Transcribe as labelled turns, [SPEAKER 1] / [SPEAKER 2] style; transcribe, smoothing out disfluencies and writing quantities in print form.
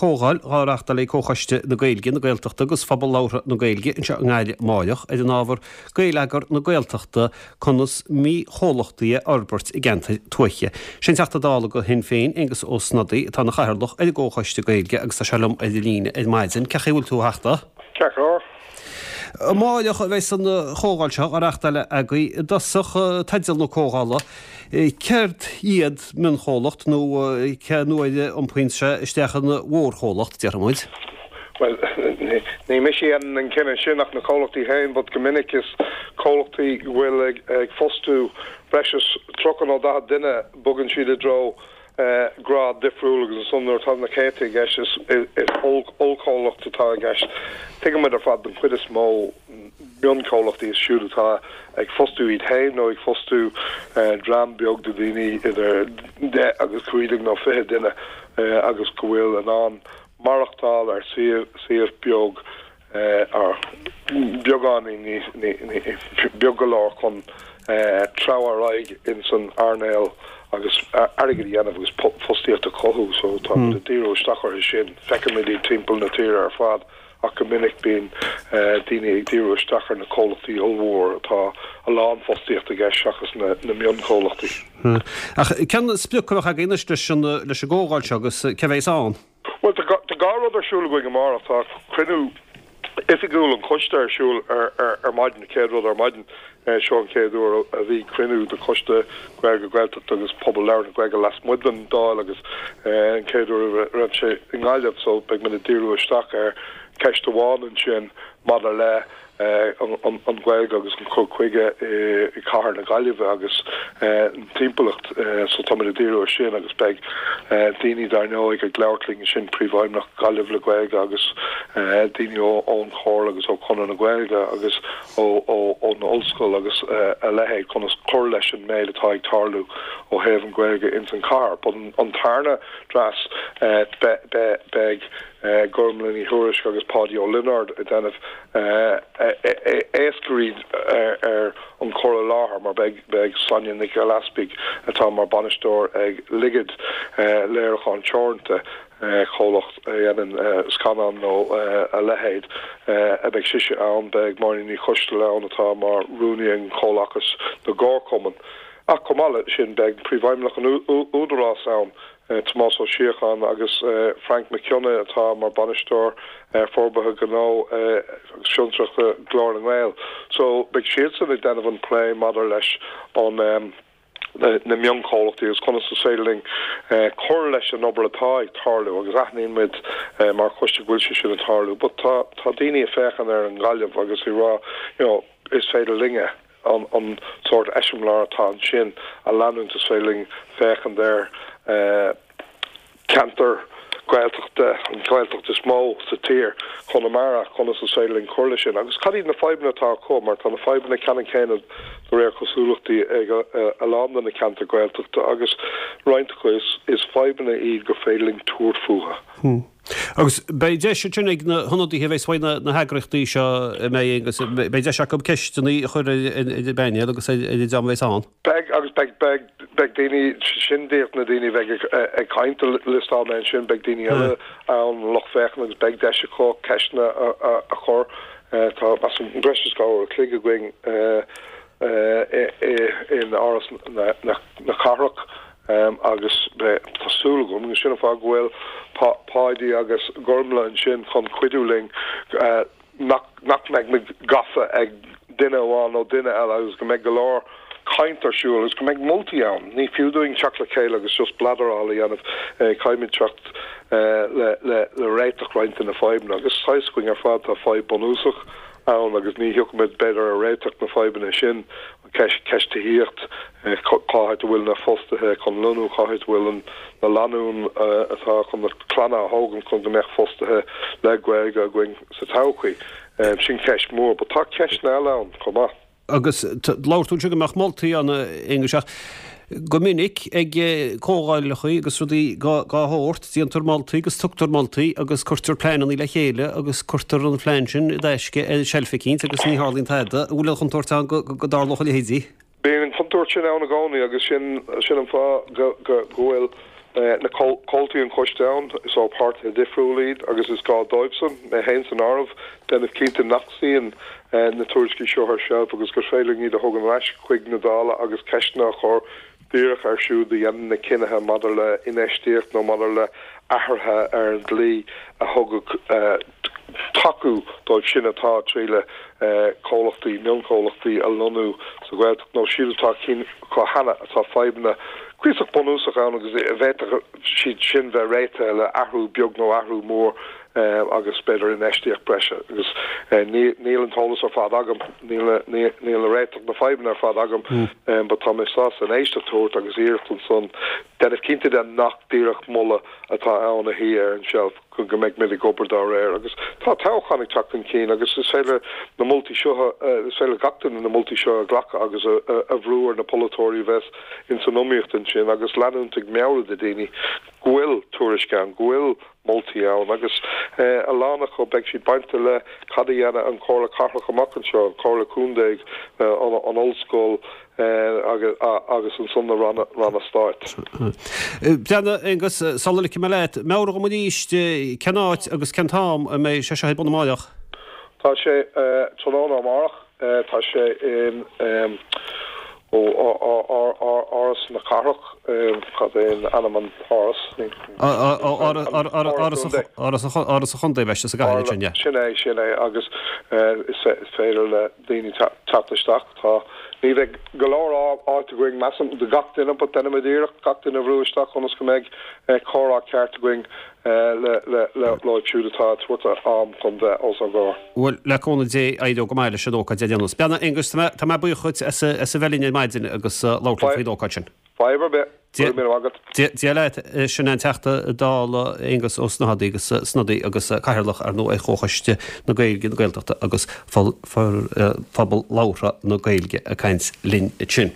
[SPEAKER 1] comhdháil dhá reachtáil ag Comhchoiste na Gaeilge, na Gaeltachta agus Phobal Labhartha na Gaeilge anseo i nGaillimh amáireach ar an ábhar Gaeleagar na Gaeltachta, conas mionchomhlachtaí a fhorbairt i gceantair tuaithe. Sé an Teachta Dála do Shinn Féin, Aengus Ó Snodaigh, atá ina chathaoirleach ar an gComhchoiste Gaeilge agus tá sé liom ar an líne ar maidin. Cén chaoi a bhfuil tú a Theachta?
[SPEAKER 2] Ceart go leor.
[SPEAKER 1] Amáireach a bheas an chomhdháil seo á reachtáil agaibh. I dtosach, teideal na comhdhála, céard iad mionchomhlacht nó cén uair a iompaíonn sé isteach ina mhórchomhlacht, déarfaidh muid?
[SPEAKER 2] Bhuel, ní mise a dhéanann an cinneadh sin ach na comhlachtaí féin, but go minic is comhlachtaí go bhfuil ag fostú breis is 30 nó 40 duine, bogann siad i dtreo grád difriúil agus ansan nuair atá na céadta i gceist is ollchomhlacht atá i gceist. Tuigeann muid ar fad den chuid is mó mionchomhlachtaí is siúd atá ag fostú iad féin nó ag fostú dream beag de dhaoine idir 10 agus 15 nó 20 duine agus go bhfuil in ann maireachtáil ar suíomh beag ar beagáinín níos, beag go leor chun treabhadh ar aghaidh ins an earnáil agus airgead a dhéanamh agus fostaíocht a chothú so tá muid ag díriú isteach orthu sin. Feicimid iad timpeall na tíre ar fad ach go minic bíonn daoine ag díriú isteach ar na comhlachtaí ollmhór atá a lán fostaíocht i gceist seachas na mionchomhlachtaí.
[SPEAKER 1] Ach cén sprioc a bheadh againn anois leis an gcomhdháil seo agus cé a bheas ann?
[SPEAKER 2] Bhuel, tá dhá rud ar siúl againn amárach. Tá cruinniú oifigiúil an choiste ar siúl ar maidin, an chéad rud ar maidin. Seo an chéad uair a bhí cruinniú de Choiste Gaeilge, Gaeltachta agus Pobal Labhartha na Gaeilge lasmuigh den Dáil agus an chéad uair a raibh sé i nGaillimh so beidh muid ag díriú isteach ar cheist amháin ansin maidir le an Ghaeilge agus an cur chuige i gcathair na Gaillimhe agus an timpeallacht so táimid ag díriú ar sin agus beidh daoine dar ndóigh ag labhairt linn ansin, Príomhfheidhmeannach Gaillimh le Gaeilge agus daoine ón Chomhairle agus ó Chonradh na Gaeilge agus ón Ollscoil agus a leithéid conas cur leis an méid atá ag tarlú ó thaobh an Ghaeilge ins an chathair. But an tarna dreas beidh Gormlaith Ní Thuairisg agus Páidí Ó Lionáird ag déanamh éascairí ar an chur i láthair mar beidh Sonia Nic Gilleasbuig atá mar bainisteoir ag Ligid Léiriúcháin Teoranta, comhlacht a dhéanann scannáin nó a leithéid, a beidh sise ann, beidh Máirín Ní Choisteala ann atá mar rúnaí ag Comhlachas na gComharchumann. Ach chomh maith leis sin beidh Príomhfheidhmeannach an Údarás ann, Tomás Ó Síocháin agus Frainc Mac Cionnaith atá mar Bainisteoir Forbartha Gnó agus Fiontraíochta Glór na nGael. So beidh siadsan ag déanamh an plé maidir leis an na mionchomhlachtaí agus conas is féidir linn cur leis an obair atá ag tarlú agus aithníonn muid mar choiste go bhfuil sé sin ag tarlú but tá tá daoine ag féachaint ar an nGaillimh agus ag rá you know is féidir linne an sórt eiseamláir atá ansin a leanúint, is féidir linn féachaint ar cheantar Gaeltachta, an Ghaeltacht is mó sa tír, Conamara, conas is féidir linn cur leis sin agus cad iad na fadhbanna atá acu mar tá na fadhbanna ceannann céanna de réir cosúlachtaí ag a lán de na ceantair Ghaeltachta agus roinnt acu is fadhbanna iad gur féidir linn tabhairt fúthu.
[SPEAKER 1] Agus beidh deis ansin ag na hionadaithe a bheas uaidh na heagraíochtaí seo a mbeidh agus beidh deis acu ceisteanna a chur ar an bpainéal agus ar an dream a bheas ann.
[SPEAKER 2] Beidh agus beidh beidh beidh daoine, sin díreach na daoine a bheidh ag caint a liostáil mé ansin, beidh daoine eile ann, lucht féachana agus beidh deis acu ceisteanna a chur. Tá measaim breis is 2 uair a chloig againn in Áras na Cathrach. Agus tá súil agam, agus sin an fáth go bhfuil Páidí agus Gormlaith ansin chun cuidiú linn, nach mbeidh muid gafa ag duine amháin nó duine eile agus go mbeidh go leor caint ar siúl agus go mbeidh moltaí ann. Ní fiú dúinn teacht le chéile agus just bladderáil a dhéanamh, caithfimid teacht le réiteach roinnt de na fadhbanna agus tá fhios againn ar fad tá fadhb bunúsach ann agus ní thiocfaimid b'fhéidir ar réiteach na fadhbanna sin ceist tithíocht, cá háit a bhfuil na fostaithe chun lonnú, cá háit a bhfuil na lánúin atá chun na clanna a thógaint chun go mbeadh fostaithe le Gaeilge againn sa todhchaí. Sin ceist mhór. But tá ceisteanna eile ann chomh maith.
[SPEAKER 1] Agus labhair tú ansin go mbeadh moltaí ann, a Aonghuis, ach go minic ag comhdhálacha agus rudaí dá shórt, déantar moltaí agus tugtar moltaí agus cuirtear pleananna le chéile agus cuirtear an plean sin i dtaisce ar seilf eicínt agus ní tharlaíonn tada. An bhfuil an chontúirt ann go dtarlódh a leithéidí?
[SPEAKER 2] Bíonn an chontúirt sin ann i gcónaí agus sin sin an fáth go go bhfuil. Na comhaltaí an choiste ann, is ó páirtithe difriúla iad agus is gá dóibhsan, mé féin san áireamh, déanamh cinnte nach suíonn na tuairiscí seo ar seilf agus gur féidir linn iad a thógaint ar ais chuig na Dála agus ceisteanna a chur díreach air siúd a dhéanann na cinnithe maidir le infheistíocht nó maidir le athruithe ar an dlí a thugadh tacú dóibh sin atá ag triail comhlachtaí, mionchomhlachtaí a lonnú sa Ghaeltacht nó siúd atá cinn acu cheana atá fadhbanna cuíosach bunúsach ann agus a bhféadfadh siad sin bheith réitithe le athrú beag nó athrú mór agus b'fhéidir infheistíocht breise agus níl an t-eolas ar fad agam, níl na réiteach na fadhbanna ar fad agam but tá mé sásta an éisteacht a thabhairt agus iarracht ansan déanamh cinnte de nach díreach moladh atá ann a shuí ar an tseilf. go mbeidh muid ag obair dá réir. Agus tá toghchán ag teacht chun cinn agus is féidir na moltaí seo, is féidir le gach duine na moltaí seo a ghlacadh agus a bhrú ar na polaiteoirí a bheas ins an iomaíocht ansin agus leanúint ag meabhrú do daoine go bhfuil tuairisc ann, go bhfuil moltaí ann agus a lán acu beidh siad bainte le cad a dhéanfaidh an Chomhairle Cathrach amach anseo, an Chomhairle Contae, an Ollscoil, agus ansan na ranna stáit.
[SPEAKER 1] Breathnaigh, Aengus, sula ligfidh mé leat, meabhraigh dom arís cén áit agus cén t-am a mbeidh sé seo ar bun amáireach?
[SPEAKER 2] Tá sé tráthnóna amárach. Tá sé in Áras na Cathrach. Cad é ainm an t-áras?
[SPEAKER 1] Áras an Chontae, beidh sé sa gcathair ansin, yeah.
[SPEAKER 2] Sin é, sin é. Agus is féidir le daoine teacht isteach. Tá, ní bheidh go leor áit againn, measaim, do gach duine but déanfaimid iarracht gach duine a bhrú isteach ionas go mbeidh comhrá ceart againn leo siúd atá ag tabhairt a am chun bheith os ár gcomhair.
[SPEAKER 1] Bhuel, le cúnamh Dé, éireoidh go maith leis an ócáid ar aon nós. Breathnaigh, Aengus, tá mé buíoch dhuit as a bheith linn ar maidin agus labhairt linn faoin ócáid sin.
[SPEAKER 2] Fadhb ar bith. Go raibh míle maith agat.
[SPEAKER 1] Dia leat. Sin an Teachta Dála Aengus Ó Snodaigh agus Snodaigh agus Cathaoirleach ar ndóigh ar Chomhchoiste na Gaeilge, na Gaeltachta agus Phobal Labhartha na Gaeilge ag caint linn ansin.